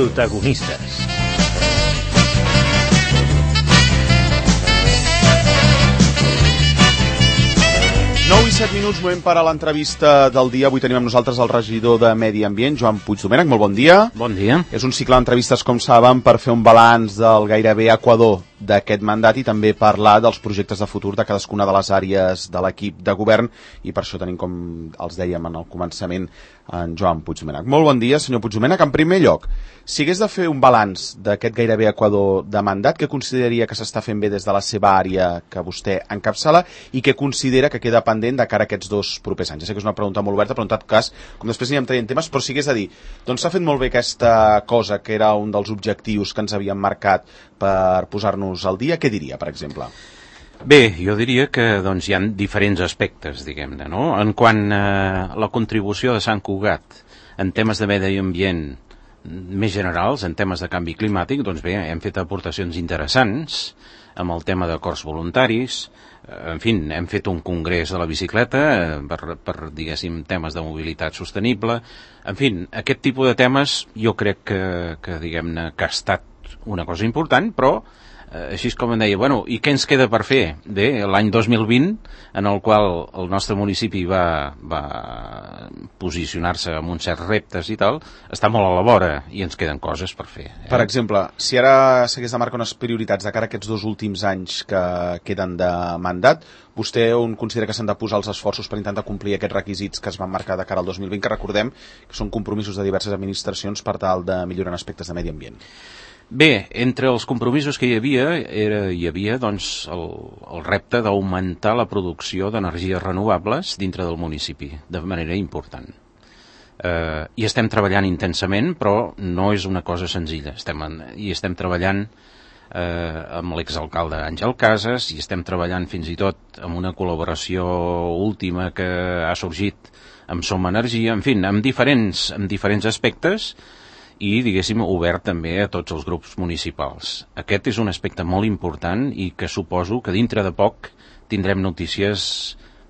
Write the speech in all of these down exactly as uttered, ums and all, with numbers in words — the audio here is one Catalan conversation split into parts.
Protagonistes. nou i set minuts, moment per a l'entrevista del dia. Avui tenim amb nosaltres el regidor de Medi Ambient, Joan Puigdomènech. Molt bon dia. Bon dia. És un cicle d'entrevistes, com saben, per fer un balanç del gairebé equador d'aquest mandat i també parlar dels projectes de futur de cadascuna de les àrees de l'equip de govern, i per això tenim, com els dèiem en el començament, en Joan Puigdomènech. Molt bon dia, senyor Puigdomènech. En primer lloc, si hagués de fer un balanç d'aquest gairebé equador de mandat, què consideraria que s'està fent bé des de la seva àrea que vostè encapçala i què considera que queda pendent de cara a aquests dos propers anys? Ja sé que és una pregunta molt oberta, però en tot cas, com després anirem traient temes, però si hagués de dir, doncs s'ha fet molt bé aquesta cosa que era un dels objectius que ens havíem marcat per posar-nos al dia, què diria, per exemple? Bé, jo diria que doncs, hi ha diferents aspectes, diguem-ne, no? En quant a la contribució de Sant Cugat en temes de medi ambient més generals, en temes de canvi climàtic, doncs bé, hem fet aportacions interessants amb el tema d'acords voluntaris, en fi, hem fet un congrés de la bicicleta per, per diguéssim, temes de mobilitat sostenible, en fi, aquest tipus de temes jo crec que, que diguem-ne, que ha estat una cosa important, però així com em deia, bueno, i què ens queda per fer? Bé, l'any dos mil vint, en el qual el nostre municipi va, va posicionar-se amb uns certs reptes i tal, està molt a la vora i ens queden coses per fer. Eh? Per exemple, si ara s'hagués de marcar unes prioritats de cara a aquests dos últims anys que queden de mandat, vostè on considera que s'han de posar els esforços per intentar complir aquests requisits que es van marcar de cara al dos mil vint, que recordem que són compromisos de diverses administracions per tal de millorar aspectes de medi ambient? Bé, entre els compromisos que hi havia, era, hi havia doncs, el, el repte d'augmentar la producció d'energies renovables dintre del municipi, de manera important. Eh, I estem treballant intensament, però no és una cosa senzilla. Estem en, I estem treballant eh, amb l'exalcalde Àngel Casas, i estem treballant fins i tot amb una col·laboració última que ha sorgit amb Som Energia, en fi, amb diferents, amb diferents aspectes, i, diguéssim, obert també a tots els grups municipals. Aquest és un aspecte molt important i que suposo que dintre de poc tindrem notícies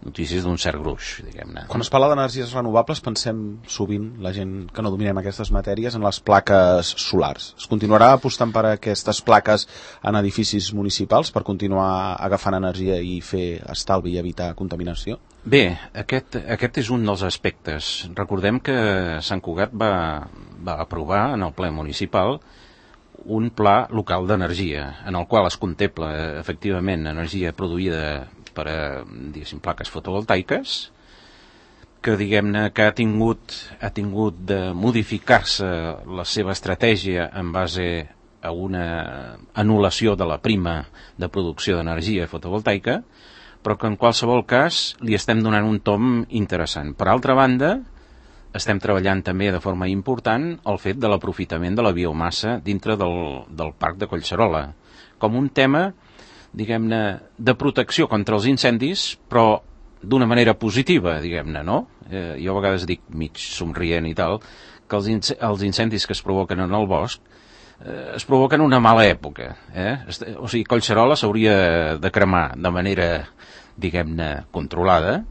notícies d'un cert gruix, diguem-ne. Quan es parla d'energies renovables pensem sovint, la gent que no dominem aquestes matèries, en les plaques solars. Es continuarà apostant per aquestes plaques en edificis municipals per continuar agafant energia i fer estalvi i evitar contaminació? Bé, aquest, aquest és un dels aspectes. Recordem que Sant Cugat va, va aprovar en el ple municipal un pla local d'energia, en el qual es contempla efectivament energia produïda per a, diguéssim, plaques fotovoltaiques, que, diguem-ne, que ha tingut, ha tingut de modificar-se la seva estratègia en base a una anul·lació de la prima de producció d'energia fotovoltaica, però que en qualsevol cas li estem donant un tom interessant. Per altra banda, estem treballant també de forma important el fet de l'aprofitament de la biomassa dintre del, del parc de Collserola, com un tema, diguem-ne, de protecció contra els incendis, però d'una manera positiva, diguem-ne, no? Eh, jo a vegades dic, mig somrient i tal, que els, inc els incendis que es provoquen en el bosc eh, es provoquen en una mala època. Eh? O sigui, Collserola s'hauria de cremar de manera, diguem-ne, controlada,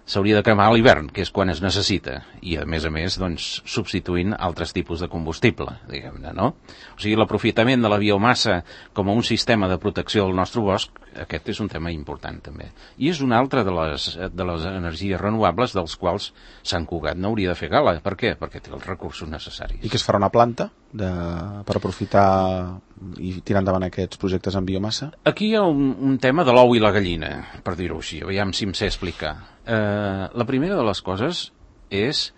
s'hauria de cremar a l'hivern, que és quan es necessita, i a més a més, doncs, substituint altres tipus de combustible, diguem-ne, no? O sigui, l'aprofitament de la biomassa com a un sistema de protecció del nostre bosc, aquest és un tema important també. I és una altra de les, de les energies renovables dels quals Sant Cugat no hauria de fer gala. Per què? Perquè té els recursos necessaris. I que es farà una planta de, per aprofitar i tirar endavant aquests projectes en biomassa? Aquí hi ha un, un tema de l'ou i la gallina, per dir-ho així, aviam si em sé explicar. Eh, la primera de les coses és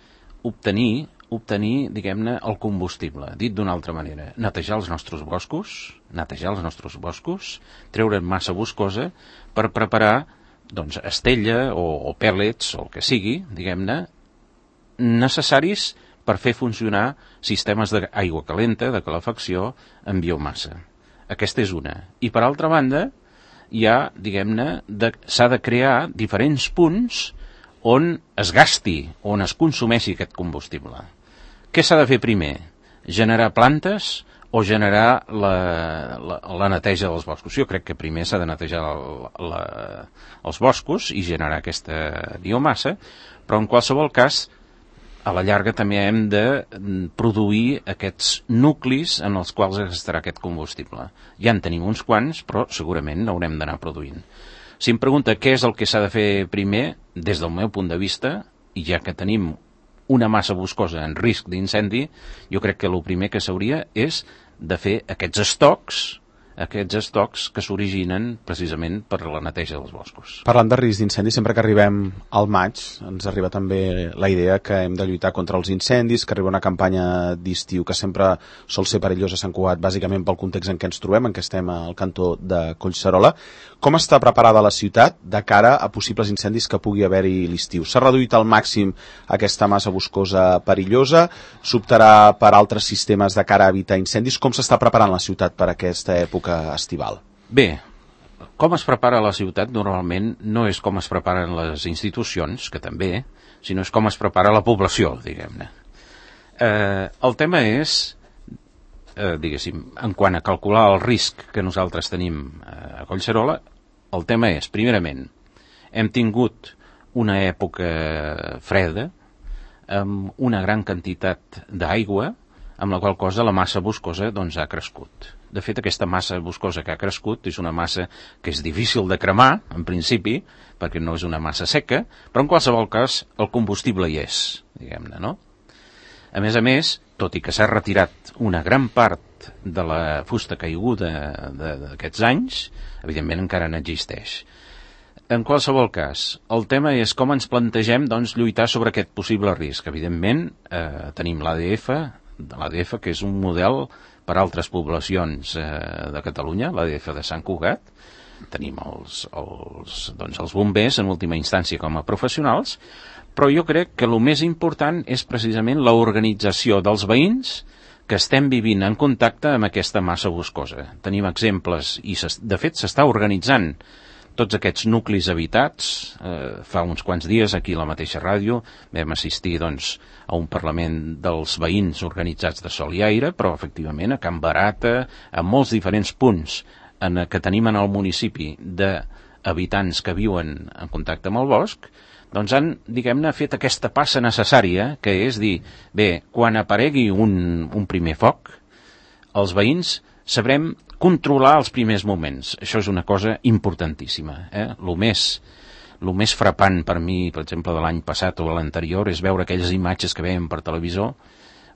obtenir, obtenir, diguem-ne, el combustible. Dit d'una altra manera, netejar els nostres boscos, netejar els nostres boscos, treure'n massa boscosa per preparar, doncs, estella o, o pèl·lets, o el que sigui, diguem-ne, necessaris per fer funcionar sistemes d'aigua calenta, de calefacció, en biomassa. Aquesta és una. I per altra banda, hi ha, diguem-ne, s'ha de crear diferents punts on es gasti, on es consumeixi aquest combustible. Què s'ha de fer primer? Generar plantes o generar la, la, la neteja dels boscos? Jo crec que primer s'ha de netejar la, la, els boscos i generar aquesta biomassa, però en qualsevol cas a la llarga també hem de produir aquests nuclis en els quals es gastarà aquest combustible. Ja en tenim uns quants, però segurament n'haurem d'anar produint. Si em pregunta què és el que s'ha de fer primer, des del meu punt de vista, i ja que tenim una massa boscosa en risc d'incendi, jo crec que el primer que s'hauria és de fer aquests estocs, aquests estocs que s'originen precisament per la neteja dels boscos. Parlant de risc d'incendi, sempre que arribem al maig ens arriba també la idea que hem de lluitar contra els incendis, que arriba una campanya d'estiu que sempre sol ser perillosa a Sant Cugat, bàsicament pel context en què ens trobem, en què estem al cantó de Collserola. Com està preparada la ciutat de cara a possibles incendis que pugui haver-hi l'estiu? S'ha reduït al màxim aquesta massa boscosa perillosa? S'optarà per altres sistemes de cara a evitar incendis? Com s'està preparant la ciutat per aquesta època estival? Bé, com es prepara la ciutat normalment no és com es preparen les institucions, que també, sinó és com es prepara la població, diguem-ne. Eh, el tema és, eh, diguéssim, en quant a calcular el risc que nosaltres tenim eh, a Collserola, el tema és, primerament, hem tingut una època freda amb una gran quantitat d'aigua, amb la qual cosa la massa boscosa doncs, ha crescut. De fet, aquesta massa boscosa que ha crescut és una massa que és difícil de cremar, en principi, perquè no és una massa seca, però en qualsevol cas el combustible hi és, diguem-ne, no? A més a més, tot i que s'ha retirat una gran part de la fusta caiguda d'aquests anys, evidentment encara n'existeix. En qualsevol cas, el tema és com ens plantegem doncs, lluitar sobre aquest possible risc. Evidentment, eh, tenim l'A D F, l'A D F, que és un model per a altres poblacions eh, de Catalunya, l'A D F de Sant Cugat. Tenim els, els, doncs els bombers, en última instància, com a professionals, però jo crec que el més important és precisament l'organització dels veïns que estem vivint en contacte amb aquesta massa boscosa. Tenim exemples, i de fet s'està organitzant tots aquests nuclis habitats. Eh, fa uns quants dies, aquí a la mateixa ràdio, vam assistir doncs, a un parlament dels veïns organitzats de Sol i Aire, però efectivament a Can Barata, a molts diferents punts en que tenim en el municipi d'habitants que viuen en contacte amb el bosc, doncs han, diguem-ne, fet aquesta passa necessària, que és dir, bé, quan aparegui un, un primer foc, els veïns sabrem controlar els primers moments. Això és una cosa importantíssima. Eh? Lo més, lo més frapant per mi, per exemple, de l'any passat o l'anterior, és veure aquelles imatges que veiem per televisor,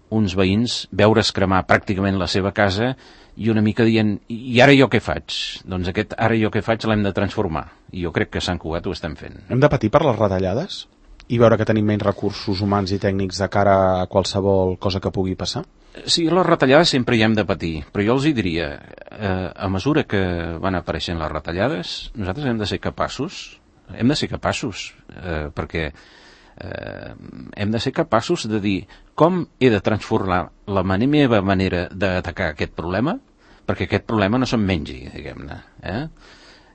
uns veïns veure's cremar pràcticament la seva casa i una mica dient, i ara jo què faig? Doncs aquest ara jo què faig l'hem de transformar. I jo crec que a Sant Cugat ho estem fent. Hem de patir per les retallades? I veure que tenim menys recursos humans i tècnics de cara a qualsevol cosa que pugui passar? Sí, les retallades sempre hi hem de patir, però jo els hi diria, eh, a mesura que van apareixent les retallades, nosaltres hem de ser capaços, hem de ser capaços, eh, perquè eh, hem de ser capaços de dir com he de transformar la meva manera d'atacar aquest problema perquè aquest problema no se'n mengi, diguem-ne. Eh?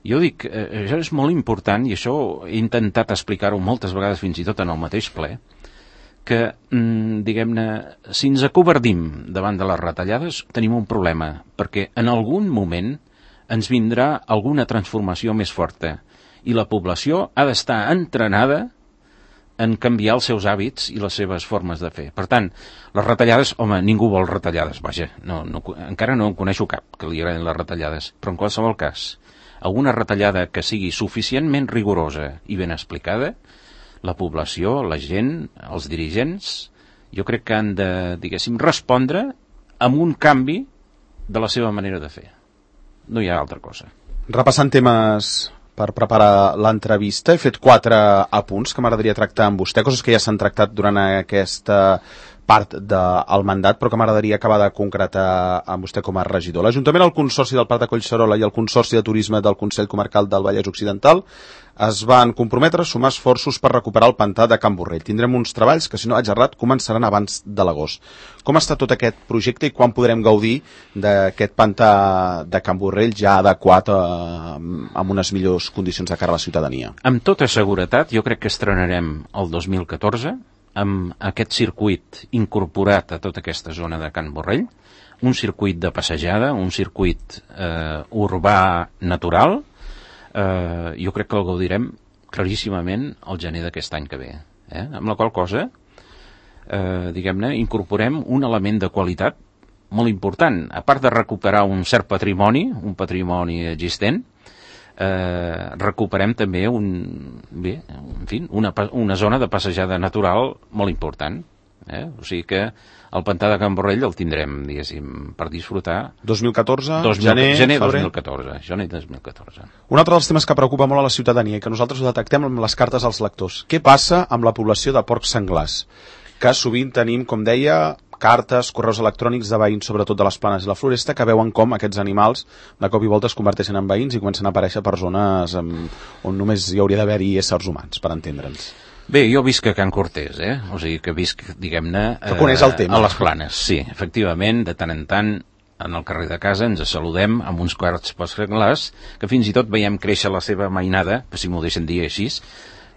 Jo dic, eh, això és molt important i això he intentat explicar-ho moltes vegades fins i tot en el mateix ple, que, mm, diguem-ne, si ens acovardim davant de les retallades tenim un problema, perquè en algun moment ens vindrà alguna transformació més forta i la població ha d'estar entrenada en canviar els seus hàbits i les seves formes de fer. Per tant, les retallades, home, ningú vol retallades, vaja, no, no, encara no en coneixo cap que li agradin les retallades, però en qualsevol cas, alguna retallada que sigui suficientment rigorosa i ben explicada, la població, la gent, els dirigents, jo crec que han de, diguéssim, respondre amb un canvi de la seva manera de fer. No hi ha altra cosa. Repassant temes per preparar l'entrevista, he fet quatre apunts que m'agradaria tractar amb vostè, coses que ja s'han tractat durant aquesta part del mandat, però que m'agradaria acabar de concretar amb vostè com a regidor. L'Ajuntament, el Consorci del Prat de Collserola i el Consorci de Turisme del Consell Comarcal del Vallès Occidental es van comprometre a sumar esforços per recuperar el pantà de Can Borrell. Tindrem uns treballs que, si no vaig errat, començaran abans de l'agost. Com està tot aquest projecte i quan podrem gaudir d'aquest pantà de Can Borrell ja adequat a, amb unes millors condicions de cara a la ciutadania? Amb tota seguretat, jo crec que estrenarem el dos mil catorze amb aquest circuit incorporat a tota aquesta zona de Can Borrell, un circuit de passejada, un circuit eh, urbà natural. Eh, jo crec que el gaudirem claríssimament el gener d'aquest any que ve. Eh? Amb la qual cosa eh, diguem-ne, incorporem un element de qualitat molt important. A part de recuperar un cert patrimoni, un patrimoni existent, eh, recuperem també un, bé, en fi, una, una zona de passejada natural molt important. Eh? O sigui que el pantà de Can Borrell el tindrem, diguéssim, per disfrutar. dos mil catorze, dos mil, gener, gener febrer. dos mil catorze, gener dos mil catorze. Un altre dels temes que preocupa molt a la ciutadania i que nosaltres ho detectem amb les cartes als lectors. Què passa amb la població de porcs senglars? Que sovint tenim, com deia, cartes, correus electrònics de veïns, sobretot de les Planes i la Floresta, que veuen com aquests animals de cop i volta es converteixen en veïns i comencen a aparèixer per zones amb, on només hi hauria d'haver-hi éssers humans, per entendre'ns. Bé, jo visc a Can Cortés, eh? O sigui que visc, diguem-ne, Que coneix el tema. A les Planes, sí. Efectivament, de tant en tant, en el carrer de casa ens saludem amb uns quarts porcs senglars, que fins i tot veiem créixer la seva mainada, si m'ho deixen dir així,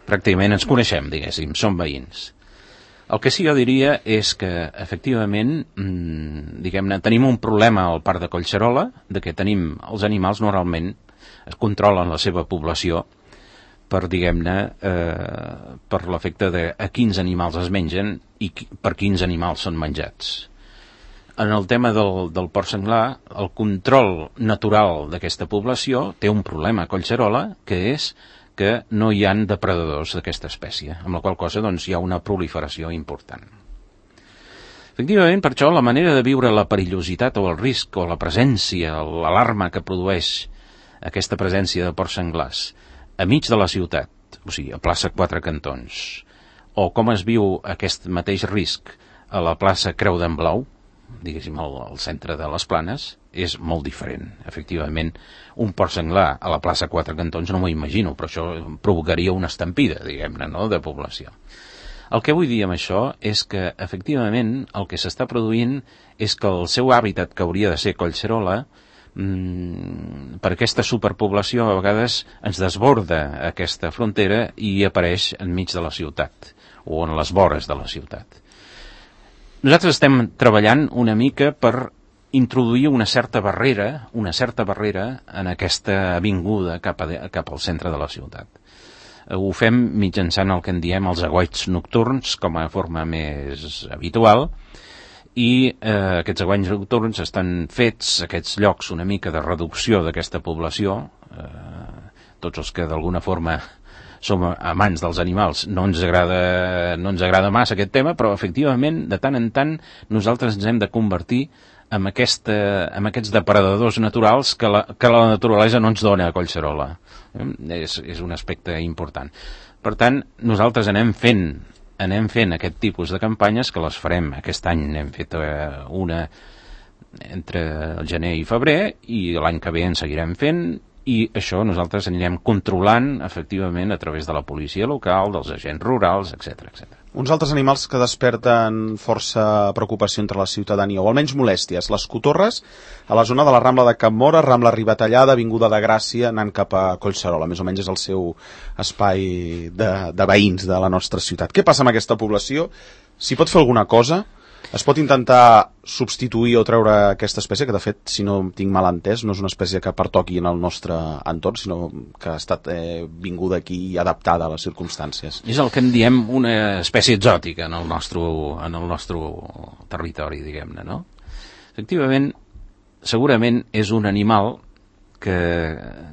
pràcticament ens coneixem, diguéssim, som veïns. El que sí jo diria és que, efectivament, mmm, diguem-ne, tenim un problema al parc de Collserola, de que tenim, els animals normalment es controlen la seva població per, diguem-ne, eh, per l'efecte de a quins animals es mengen i qui, per quins animals són menjats. En el tema del, del porc senglar, el control natural d'aquesta població té un problema a Collserola, que és que no hi han depredadors d'aquesta espècie, amb la qual cosa doncs, hi ha una proliferació important. Efectivament, per això, la manera de viure la perillositat o el risc o la presència, l'alarma que produeix aquesta presència de porcs senglars a mig de la ciutat, o sigui, a plaça Quatre Cantons, o com es viu aquest mateix risc a la plaça Creu d'en Blau, diguéssim, al, al centre de les Planes, és molt diferent. Efectivament, un porc senglar a la plaça Quatre Cantons no m'ho imagino, però això provocaria una estampida, diguem-ne, no?, de població. El que vull dir amb això és que, efectivament, el que s'està produint és que el seu hàbitat, que hauria de ser Collserola, mmm, per aquesta superpoblació a vegades ens desborda aquesta frontera i apareix enmig de la ciutat, o en les vores de la ciutat. Nosaltres estem treballant una mica per introduir una certa barrera, una certa barrera en aquesta avinguda cap, a, cap al centre de la ciutat. Ho fem mitjançant el que en diem els aguaits nocturns com a forma més habitual i eh, aquests aguaits nocturns estan fets, aquests llocs una mica de reducció d'aquesta població, eh, tots els que d'alguna forma som amants dels animals, no ens agrada, no ens agrada massa aquest tema, però efectivament, de tant en tant, nosaltres ens hem de convertir en, aquesta, en aquests depredadors naturals que la, que la naturalesa no ens dona a Collserola. Eh? És, és un aspecte important. Per tant, nosaltres anem fent, anem fent aquest tipus de campanyes, que les farem aquest any, n'hem fet una entre el gener i febrer, i l'any que ve en seguirem fent, i això nosaltres anirem controlant efectivament a través de la policia local, dels agents rurals, etcètera, etcètera. Uns altres animals que desperten força preocupació entre la ciutadania, o almenys molèsties, les cotorres a la zona de la Rambla de Can Móra, Rambla Ribatallada, Avinguda de Gràcia, anant cap a Collserola, més o menys és el seu espai de, de veïns de la nostra ciutat. Què passa amb aquesta població? S'hi pot fer alguna cosa? Es pot intentar substituir o treure aquesta espècie, que de fet, si no tinc mal entès, no és una espècie que pertoqui en el nostre entorn, sinó que ha estat eh, vinguda aquí i adaptada a les circumstàncies. És el que en diem una espècie exòtica en el nostre, en el nostre territori, diguem-ne, no? Efectivament, segurament és un animal que,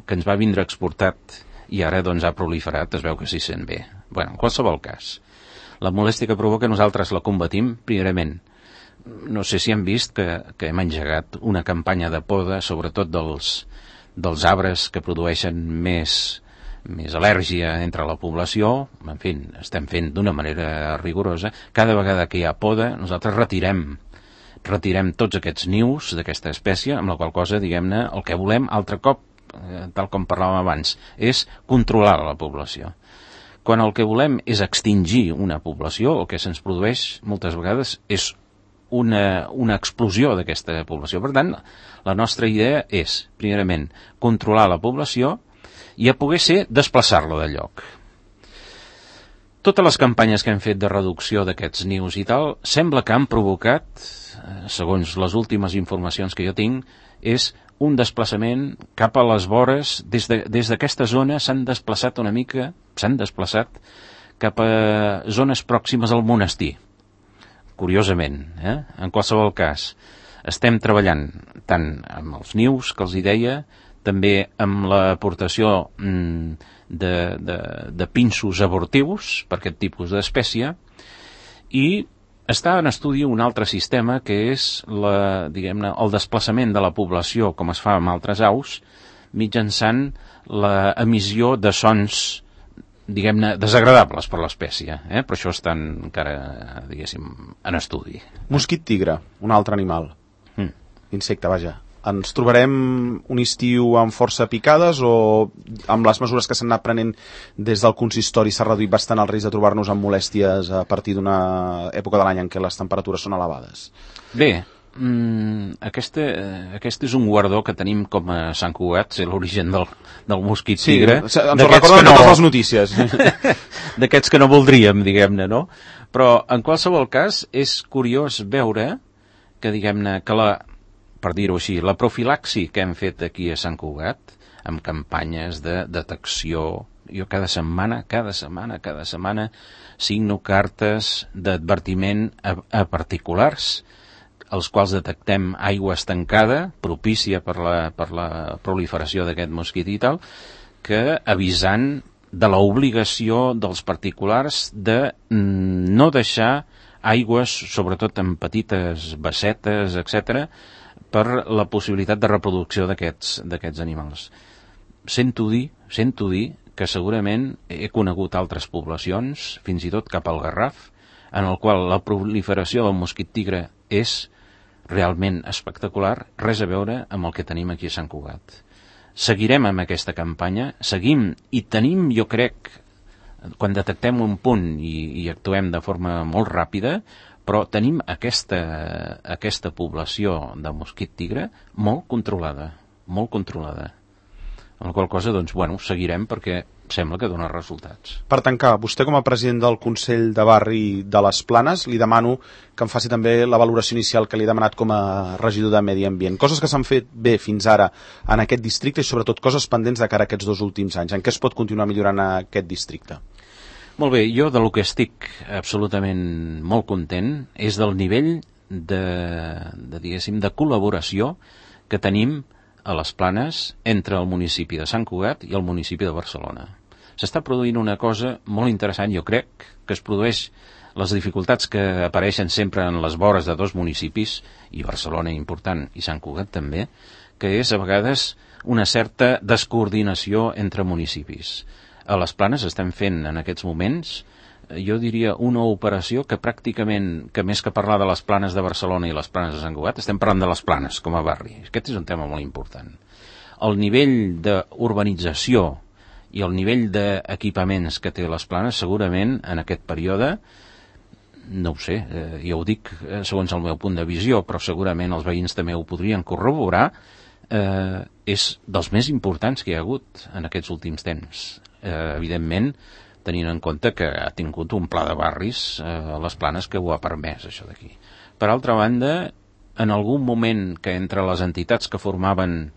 que ens va vindre exportat i ara doncs ha proliferat, es veu que s'hi sent bé. Bé, en qualsevol cas, la molèstia que provoca nosaltres la combatim primerament. No sé si hem vist que, que hem engegat una campanya de poda, sobretot dels, dels arbres que produeixen més, més al·lèrgia entre la població. En fi, estem fent d'una manera rigorosa. Cada vegada que hi ha poda, nosaltres retirem, retirem tots aquests nius d'aquesta espècie, amb la qual cosa, diguem-ne, el que volem, altre cop, eh, tal com parlàvem abans, és controlar la població. Quan el que volem és extingir una població, el que se'ns produeix moltes vegades és una, una explosió d'aquesta població. Per tant, la nostra idea és, primerament, controlar la població i a poder ser desplaçar-la de lloc. Totes les campanyes que hem fet de reducció d'aquests nius i tal, sembla que han provocat, segons les últimes informacions que jo tinc, és un desplaçament cap a les vores, des de, des d'aquesta zona s'han desplaçat una mica, s'han desplaçat cap a zones pròximes al monestir. curiosament. Eh? En qualsevol cas, estem treballant tant amb els nius, que els hi deia, també amb l'aportació mm, de, de, de pinsos abortius per aquest tipus d'espècie, i està en estudi un altre sistema que és la, diguem-ne, el desplaçament de la població, com es fa amb altres aus, mitjançant l'emissió de sons, diguem-ne, desagradables per l'espècie, eh? Però això està encara, diguéssim, en estudi. Mosquit tigre, un altre animal. Mm. Insecte, vaja. Ens trobarem un estiu amb força picades o amb les mesures que s'han anat prenent des del consistori s'ha reduït bastant el risc de trobar-nos amb molèsties a partir d'una època de l'any en què les temperatures són elevades? Bé, mm, aquesta, aquest és un guardó que tenim com a Sant Cugat, és l'origen del, del mosquit tigre. Sí, ens ho recorden no, totes les notícies. D'aquests que no voldríem, diguem-ne, no? Però, en qualsevol cas, és curiós veure que, diguem-ne, que la... per dir-ho així, la profilaxi que hem fet aquí a Sant Cugat, amb campanyes de detecció, jo cada setmana, cada setmana, cada setmana, signo cartes d'advertiment a, a particulars, els quals detectem aigua estancada, propícia per la, per la proliferació d'aquest mosquit i tal, que avisant de l'obligació dels particulars de no deixar aigües, sobretot en petites bassetes, etcètera, per la possibilitat de reproducció d'aquests d'aquests animals. Sento dir, sento dir que segurament he conegut altres poblacions, fins i tot cap al Garraf, en el qual la proliferació del mosquit tigre és realment espectacular, res a veure amb el que tenim aquí a Sant Cugat. Seguirem amb aquesta campanya, seguim i tenim, jo crec, quan detectem un punt i, i actuem de forma molt ràpida, però tenim aquesta, aquesta població de mosquit tigre molt controlada, molt controlada. Amb la qual cosa, doncs, bueno, seguirem perquè sembla que dona resultats. Per tancar, vostè com a president del Consell de Barri de les Planes, li demano que em faci també la valoració inicial que li he demanat com a regidor de Medi Ambient. Coses que s'han fet bé fins ara en aquest districte i sobretot coses pendents de cara a aquests dos últims anys. En què es pot continuar millorant aquest districte? Molt bé, jo de lo que estic absolutament molt content és del nivell de, de, diguéssim, de col·laboració que tenim a les Planes entre el municipi de Sant Cugat i el municipi de Barcelona. S'està produint una cosa molt interessant, jo crec, que es produeix les dificultats que apareixen sempre en les vores de dos municipis, i Barcelona important i Sant Cugat també, que és a vegades una certa descoordinació entre municipis. A les Planes estem fent en aquests moments, jo diria, una operació que pràcticament, que més que parlar de les Planes de Barcelona i les Planes de Sant Cugat, estem parlant de les Planes com a barri. Aquest és un tema molt important. El nivell d'urbanització i el nivell d'equipaments que té les Planes, segurament, en aquest període, no ho sé, eh, ja ho dic eh, segons el meu punt de visió, però segurament els veïns també ho podrien corroborar, eh, és dels més importants que hi ha hagut en aquests últims temps. Eh, evidentment, tenint en compte que ha tingut un pla de barris eh, a les Planes que ho ha permès, això d'aquí. Per altra banda, en algun moment que entre les entitats que formaven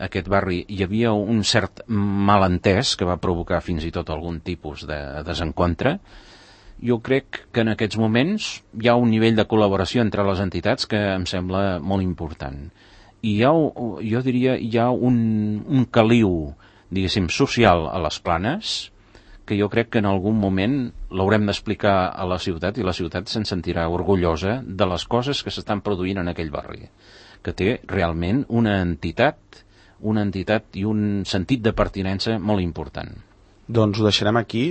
aquest barri hi havia un cert malentès que va provocar fins i tot algun tipus de desencontre, jo crec que en aquests moments hi ha un nivell de col·laboració entre les entitats que em sembla molt important. I hi ha, jo diria, hi ha un, un caliu, diguéssim, social a les Planes, que jo crec que en algun moment l'haurem d'explicar a la ciutat i la ciutat se'n sentirà orgullosa de les coses que s'estan produint en aquell barri, que té realment una entitat, una entitat i un sentit de pertinença molt important. Doncs ho deixarem aquí.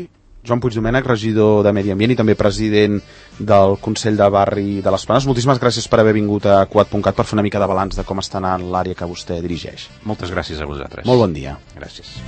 Joan Puigdomènech, regidor de Medi Ambient i també president del Consell de Barri de les Planes. Moltíssimes gràcies per haver vingut a Cugat punt cat per fer una mica de balanç de com està anant l'àrea que vostè dirigeix. Moltes gràcies a vosaltres. Molt bon dia. Gràcies.